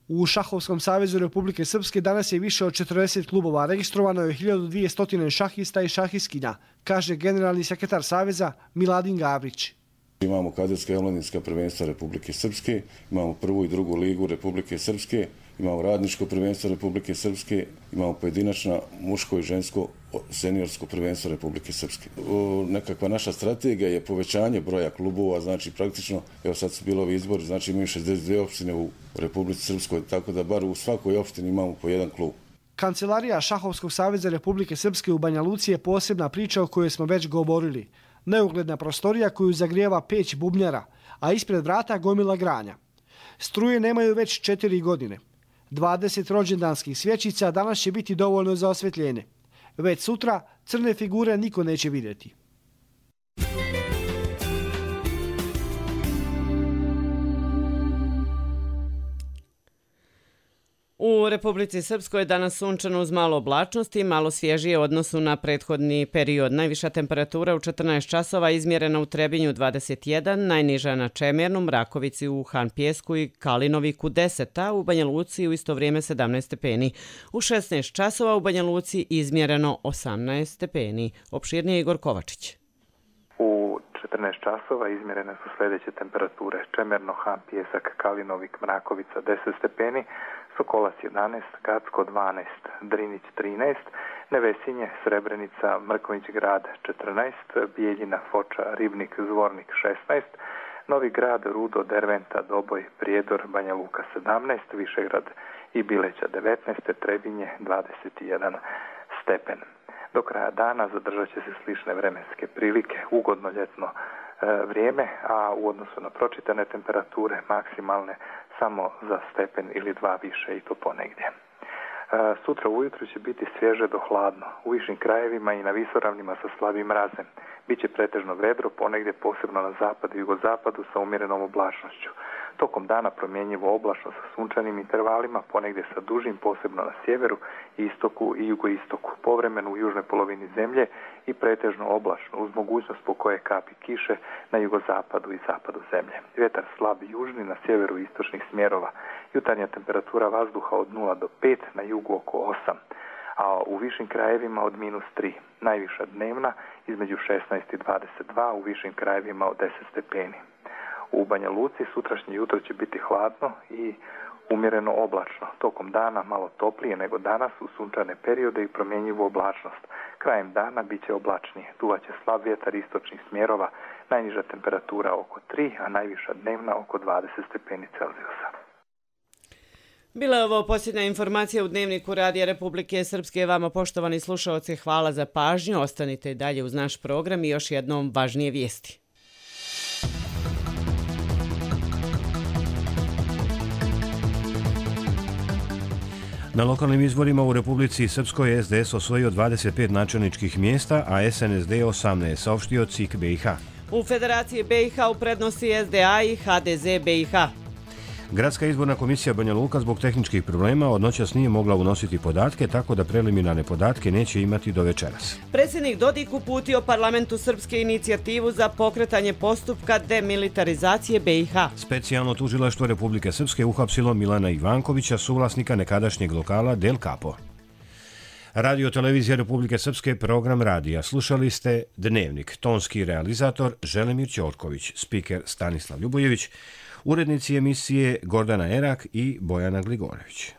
U Šahovskom savezu Republike Srpske danas je više od četrdeset klubova, registrovano je hiljadu dvjesto šahista i šahiskinja, kaže generalni sekretar saveza Miladin Gavrić. Imamo kadetska i omladinska prvenstva Republike Srpske, imamo prvu i drugu ligu Republike Srpske, imamo radničko prvenstvo Republike Srpske, imamo pojedinačno muško i žensko seniorsko prvenstvo Republike Srpske. O, nekakva naša strategija je povećanje broja klubova, znači praktično, evo sad su bilo ovi izbori, znači imaju šezdeset dvije opštine u Republici Srpskoj, tako da bar u svakoj opštini imamo po jedan klub. Kancelarija Šahovskog saveza Republike Srpske u Banja Luci je posebna priča o kojoj smo već govorili. Neugledna prostorija koju zagrijeva peć bubnjara, a ispred vrata gomila granja. Struje nemaju već četiri godine. dvadeset rođendanskih svjećica danas će biti dovoljno za osvjetljenje. Već sutra crne figure niko neće vidjeti. U Republici Srpskoj je danas sunčano uz malo oblačnosti i malo svježije u odnosu na prethodni period. Najviša temperatura u četrnaest časova izmjerena u Trebinju dvadeset jedan, najniža na Čemernu, Mrakovici u Han Pjesku i Kalinoviku deset, a u Banja Luci u isto vrijeme sedamnaest stepeni. U šesnaest časova u Banja Luci izmjereno osamnaest stepeni. Opširnije Igor Kovačić. U četrnaest časova izmjerene su sljedeće temperature: Čemerno, Han Pjesak, Kalinovik, Mrakovica deset stepeni, Sokolac jedanaest, Gacko dvanaest, Drinić trinaest, Nevesinje, Srebrenica, Mrković grad četrnaest, Bijeljina, Foča, Ribnik, Zvornik šesnaest, Novi grad, Rudo, Derventa, Doboj, Prijedor, Banja Luka sedamnaest, Višegrad i Bileća devetnaest, Trebinje dvadeset jedan stepen. Do kraja dana zadržat će se slične vremenske prilike, ugodno ljetno e, vrijeme, a u odnosu na pročitane temperature maksimalne samo za stepen ili dva više i to ponegdje. Sutra ujutro će biti svježe do hladno. U višim krajevima i na visoravnima sa slabim mrazem. Biće pretežno vedro, ponegdje posebno na zapadu i jugozapadu sa umjerenom oblačnošću. Tokom dana promjenjivo oblačno sa sunčanim intervalima, ponegdje sa dužim, posebno na sjeveru, istoku i jugoistoku. Povremeno u južnoj polovini zemlje i pretežno oblačno, uz mogućnost po koje kapi kiše na jugozapadu i zapadu zemlje. Vjetar slab južni na sjeveru istočnih smjerova. Jutarnja temperatura vazduha od nula do pet, na jugu oko osam, a u višim krajevima od minus tri. Najviša dnevna između šesnaest i dvadeset dva, u višim krajevima od deset stepeni. U Banja Luci sutrašnje jutro će biti hladno i umjereno oblačno. Tokom dana malo toplije nego danas u sunčane periode i promjenjivu oblačnost. Krajem dana bit će oblačnije. Duvaće slab vjetar istočnih smjerova, najniža temperatura oko tri, a najviša dnevna oko dvadeset stepeni Celzijusa. Bila je ovo posljednja informacija u Dnevniku Radija Republike Srpske. Vama, poštovani slušaoci, hvala za pažnju. Ostanite dalje uz naš program i još jednom važnije vijesti. Na lokalnim izborima u Republici Srpskoj S D S osvojio dvadeset pet načelničkih mjesta, a S N S D osamnaest, saopštio C I K B i H. U Federaciji B i H u prednosti S D A i H D Z B i H. Gradska izborna komisija Banja Luka zbog tehničkih problema od noćas nije mogla unositi podatke, tako da preliminarne podatke neće imati do večeras. Predsjednik Dodik uputio parlamentu Srpske inicijativu za pokretanje postupka demilitarizacije B i H. Specijalno tužilaštvo Republike Srpske uhapsilo Milana Ivankovića, suvlasnika nekadašnjeg lokala Del Capo. Radio Televizija Republike Srpske, program radija. Slušali ste Dnevnik, tonski realizator Želimir Ćorković, spiker Stanislav Ljubojević, urednici emisije Gordana Erak i Bojana Gligorević.